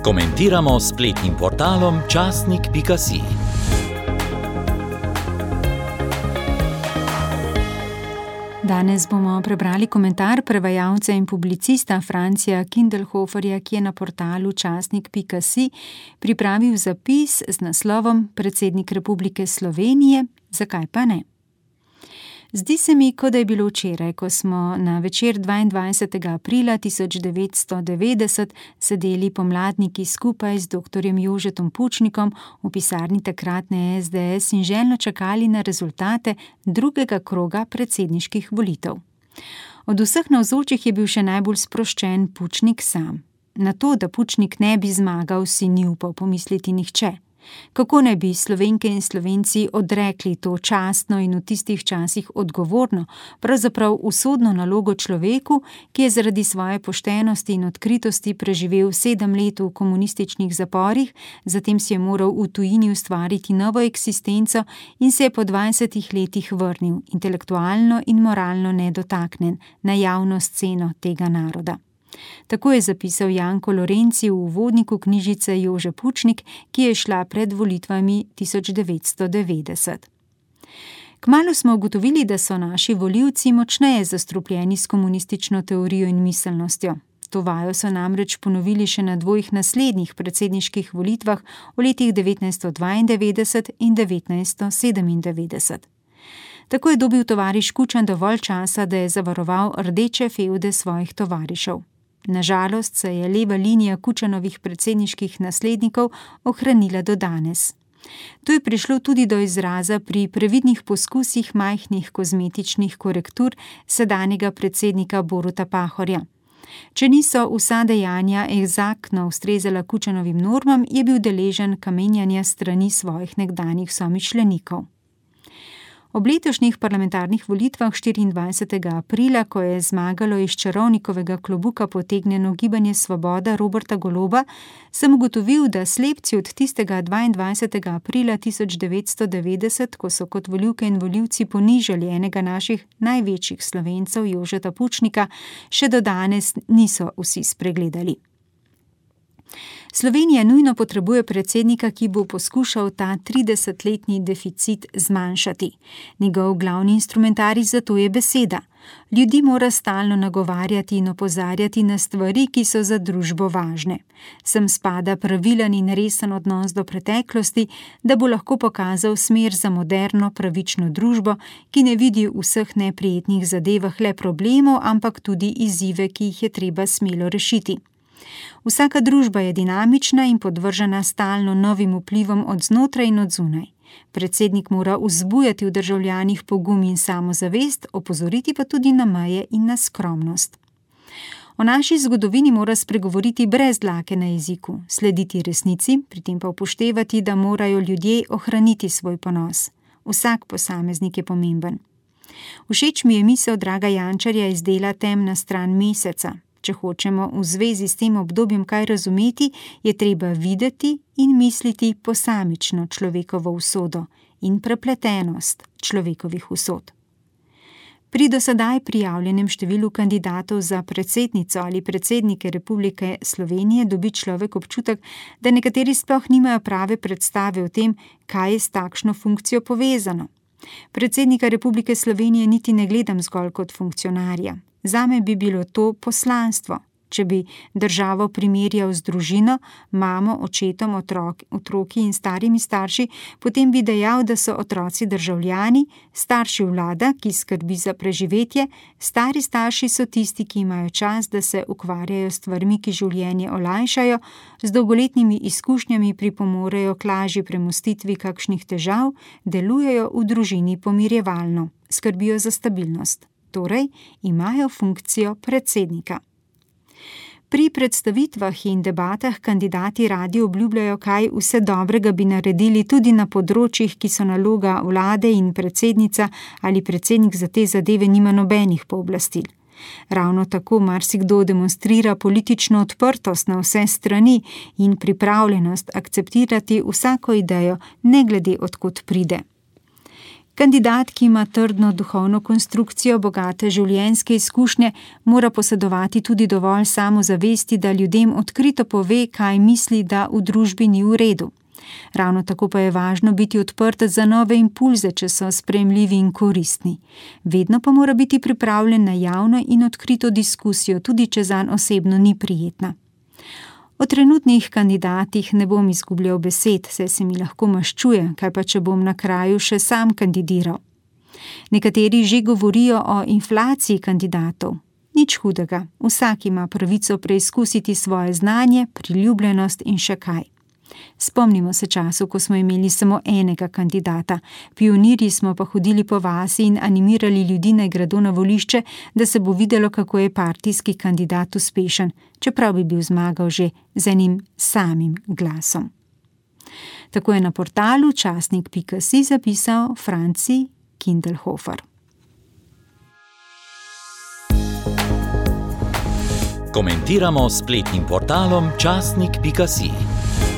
Komentiramo s spletnim portalom časnik.si. Danes bomo prebrali komentar prevajalca in publicista Francija Kindelhoferja, ki je na portalu časnik.si pripravil zapis z naslovom Predsednik Republike Slovenije, zakaj pa ne? Zdi se mi, kot da je bilo včeraj, ko smo na večer 22. aprila 1990 sedeli pomladniki skupaj z doktorjem Jožetom Pučnikom v pisarni takratne SDS in željno čakali na rezultate drugega kroga predsedniških volitev. Od vseh navzočih je bil še najbolj sproščen Pučnik sam. Na to, da Pučnik ne bi zmagal, si ni upal pomisliti nihče. Kako ne bi Slovenke in Slovenci odrekli to častno in v tistih časih odgovorno, pravzaprav usodno nalogo človeku, ki je zaradi svoje poštenosti in odkritosti preživel 7 let v komunističnih zaporih, zatem si je moral v tujini ustvariti novo eksistenco in se je po 20 letih vrnil, intelektualno in moralno nedotaknen, na javno sceno tega naroda. Tako je zapisal Janko Lorenci v uvodniku knjižice Jože Pučnik, ki je šla pred volitvami 1990. Kmalu smo ugotovili, da so naši volivci močneje zastrupljeni s komunistično teorijo in miselnostjo. To vajo so namreč ponovili še na 2 naslednjih predsedniških volitvah v letih 1992 in 1997. Tako je dobil tovariš Kučan dovolj časa, da je zavaroval rdeče fevde svojih tovarišev. Nažalost se je leva linija Kučanovih predsedniških naslednikov ohranila do danes. To je prišlo tudi do izraza pri previdnih poskusih majhnih kozmetičnih korektur sedanjega predsednika Boruta Pahorja. Če niso vsa dejanja eksaktno ustrezala Kučanovim normam, je bil deležen kamenjanja strani svojih nekdanjih somišljenikov. Ob letošnjih parlamentarnih volitvah 24. aprila, ko je zmagalo iz čarovnikovega klobuka potegnjeno Gibanje Svoboda Roberta Goloba, sem ugotovil, da slepci od tistega 22. aprila 1990, ko so kot volivke in volivci ponižali enega naših največjih Slovencev, Jožeta Pučnika, še do danes niso vsi spregledali. Slovenija nujno potrebuje predsednika, ki bo poskušal ta 30-letni deficit zmanjšati. Njegov glavni instrumentarij za to je beseda. Ljudi mora stalno nagovarjati in opozarjati na stvari, ki so za družbo važne. Sem spada pravilen in resen odnos do preteklosti, da bo lahko pokazal smer za moderno, pravično družbo, ki ne vidi v vseh neprijetnih zadevah le problemov, ampak tudi izzive, ki jih je treba smelo rešiti. Vsaka družba je dinamična in podvržena stalno novim vplivom od znotraj in od zunaj. Predsednik mora vzbujati v državljanih pogum in samozavest, opozoriti pa tudi na meje in na skromnost. O naši zgodovini mora spregovoriti brez dlake na jeziku, slediti resnici, pri tem pa upoštevati, da morajo ljudje ohraniti svoj ponos. Vsak posameznik je pomemben. Všeč mi je misel Draga Jančarja iz dela Temna stran meseca. Če hočemo v zvezi s tem obdobjem kaj razumeti, je treba videti in misliti posamično človekovo usodo in prepletenost človekovih usod. Pri do sedaj prijavljenem številu kandidatov za predsednico ali predsednike Republike Slovenije dobi človek občutek, da nekateri sploh nimajo prave predstave o tem, kaj je s takšno funkcijo povezano. Predsednika Republike Slovenije niti ne gledam zgolj kot funkcionarja. Zame bi bilo to poslanstvo. Če bi državo primerjal z družino, mamo, očetom, otroki in starimi starši, potem bi dejal, da so otroci državljani, starši vlada, ki skrbi za preživetje, stari starši so tisti, ki imajo čas, da se ukvarjajo s stvarmi, ki življenje olajšajo, z dolgoletnimi izkušnjami pripomorejo k lažji premostitvi kakšnih težav, delujejo v družini pomirjevalno, skrbijo za stabilnost. Torej, imajo funkcijo predsednika. Pri predstavitvah in debatah kandidati radi obljubljajo, kaj vse dobrega bi naredili tudi na področjih, ki so naloga vlade in predsednica ali predsednik za te zadeve nima nobenih pooblastil. Ravno tako marsikdo demonstrira politično odprtost na vse strani in pripravljenost akceptirati vsako idejo, ne glede od kod pride. Kandidat, ki ima trdno duhovno konstrukcijo, bogate življenjske izkušnje, mora posedovati tudi dovolj samozavesti, da ljudem odkrito pove, kaj misli, da v družbi ni v redu. Ravno tako pa je važno biti odprt za nove impulze, če so sprejemljivi in koristni. Vedno pa mora biti pripravljen na javno in odkrito diskusijo, tudi če zanj osebno ni prijetna. O trenutnih kandidatih ne bom izgubljal besed, saj se mi lahko maščuje, kaj pa če bom na kraju še sam kandidiral. Nekateri že govorijo o inflaciji kandidatov. Nič hudega, vsak ima pravico preizkusiti svoje znanje, priljubljenost in še kaj. Spomnimo se času, ko smo imeli samo enega kandidata. Pionirji smo pa hodili po vasi in animirali ljudi naj gredo na volišče, da se bo videlo, kako je partijski kandidat uspešen, čeprav bi bil zmagal že z enim samim glasom. Tako je na portalu časnik.si zapisal Franci Kindelhofer. Komentiramo s spletnim portalom časnik.si.